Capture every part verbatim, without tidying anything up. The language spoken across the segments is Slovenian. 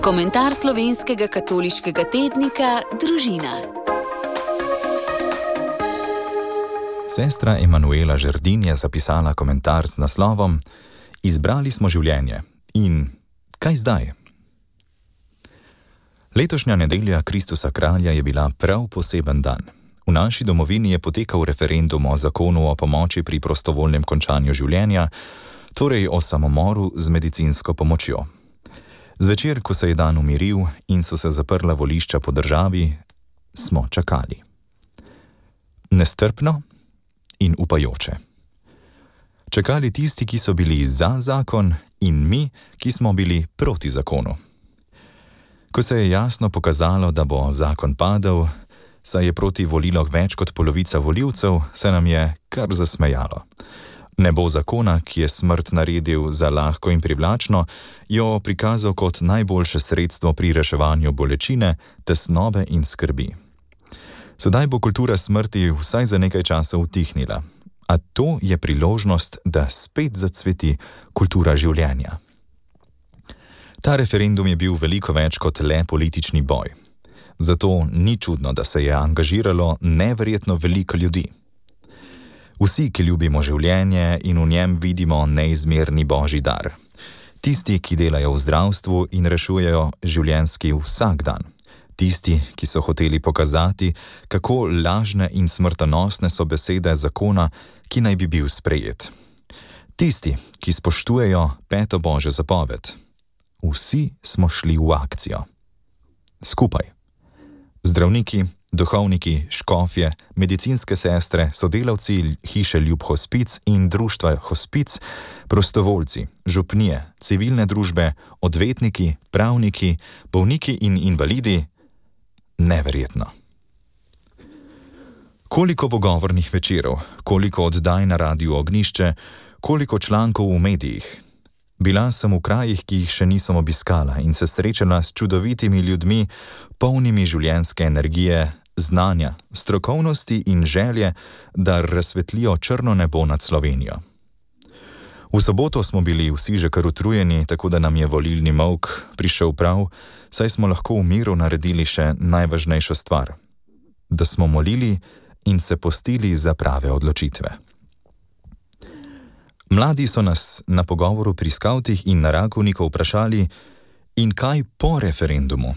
Komentar slovenskega katoliškega tednika Družina. Sestra Emanuela Žerdin je zapisala komentar z naslovom Izbrali smo življenje in kaj zdaj? Letošnja nedelja Kristusa kralja je bila prav poseben dan. V naši domovini je potekal referendum o zakonu o pomoči pri prostovoljnem končanju življenja, torej o samomoru z medicinsko pomočjo. Zvečer, ko se je dan umiril in so se zaprla volišča po državi, smo čakali. Nestrpno in upajoče. Čakali tisti, ki so bili za zakon, in mi, ki smo bili proti zakonu. Ko se je jasno pokazalo, da bo zakon padel, saj je proti volilo več kot polovica volivcev, se nam je kar zasmejalo. Ne bo zakona, ki je smrt naredil za lahko in privlačno, jo prikazal kot najboljše sredstvo pri reševanju bolečine, tesnobe in skrbi. Sedaj bo kultura smrti vsaj za nekaj časa utihnila, a to je priložnost, da spet zacveti kultura življenja. Ta referendum je bil veliko več kot le politični boj. Zato ni čudno, da se je angažiralo neverjetno veliko ljudi. Vsi, ki ljubimo življenje in v njem vidimo neizmerni božji dar. Tisti, ki delajo v zdravstvu in rešujejo življenjski vsak dan. Tisti, ki so hoteli pokazati, kako lažne in smrtonosne so besede zakona, ki naj bi bil sprejet. Tisti, ki spoštujejo peto božjo zapoved. Vsi smo šli v akcijo. Skupaj. Zdravniki, duhovniki, škofje, medicinske sestre, sodelavci hiše Ljub Hospic in društva Hospic, prostovoljci, župnije, civilne družbe, odvetniki, pravniki, bolniki in invalidi. Neverjetno. Koliko pogovornih večerov, koliko oddaj na Radiu Ognjišče, koliko člankov v medijih. Bila sem v krajih, ki jih še nisem obiskala in se srečala s čudovitimi ljudmi, polnimi življenjske energije, znanja, strokovnosti in želje, da razsvetlijo črno nebo nad Slovenijo. V soboto smo bili vsi že kar utrujeni, tako da nam je volilni molk prišel prav, saj smo lahko v miru naredili še najvažnejšo stvar. Da smo molili in se postili za prave odločitve. Mladi so nas na pogovoru pri skavtih in na Rakovniku vprašali, in kaj po referendumu?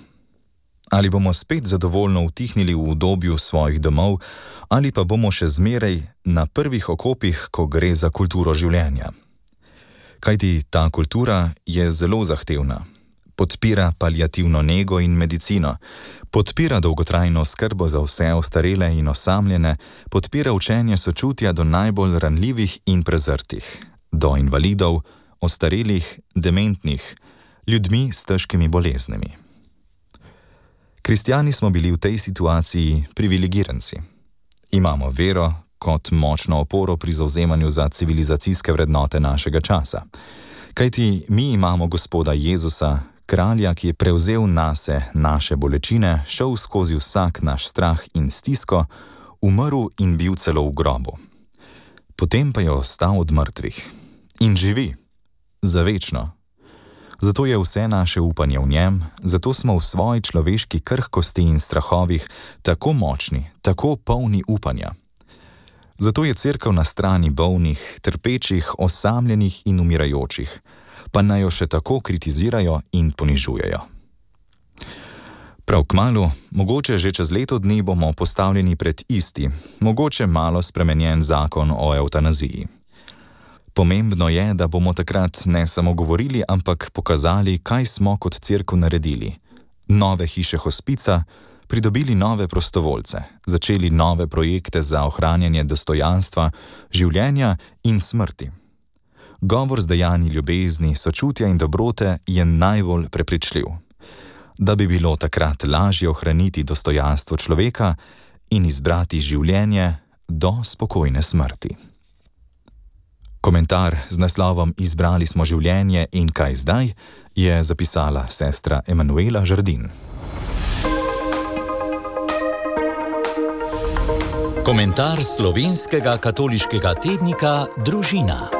Ali bomo spet zadovoljno utihnili v udobju svojih domov, ali pa bomo še zmeraj na prvih okopih, ko gre za kulturo življenja? Kajti ta kultura je zelo zahtevna. Podpira paliativno nego in medicino, podpira dolgotrajno skrbo za vse ostarele in osamljene, podpira učenje sočutja do najbolj ranljivih in prezrtih, do invalidov, ostarelih, dementnih, ljudmi s težkimi boleznimi. Kristjani smo bili v tej situaciji privilegiranci. Imamo vero kot močno oporo pri zavzemanju za civilizacijske vrednote našega časa. Kajti mi imamo Gospoda Jezusa, kralja, ki je prevzel nase naše bolečine, šel skozi vsak naš strah in stisko, umrl in bil celo v grobu. Potem pa je ostal od mrtvih. In živi. Zavečno. Zato je vse naše upanje v njem, zato smo v svoji človeški krhkosti in strahovih tako močni, tako polni upanja. Zato je cerkev na strani bolnih, trpečih, osamljenih in umirajočih, pa naj jo še tako kritizirajo in ponižujejo. Prav kmalu, mogoče že čez leto dni bomo postavljeni pred isti, mogoče malo spremenjen zakon o evtanaziji. Pomembno je, da bomo takrat ne samo govorili, ampak pokazali, kaj smo kot cerkev naredili. Nove hiše Hospica, pridobili nove prostovoljce, začeli nove projekte za ohranjanje dostojanstva, življenja in smrti. Govor z dejanji ljubezni, sočutja in dobrote je najbolj prepričljiv. Da bi bilo takrat lažje ohraniti dostojanstvo človeka in izbrati življenje do spokojne smrti. Komentar z naslovom Izbrali smo življenje in kaj zdaj je zapisala sestra Emanuela Žerdin. Komentar slovenskega katoliškega tednika Družina.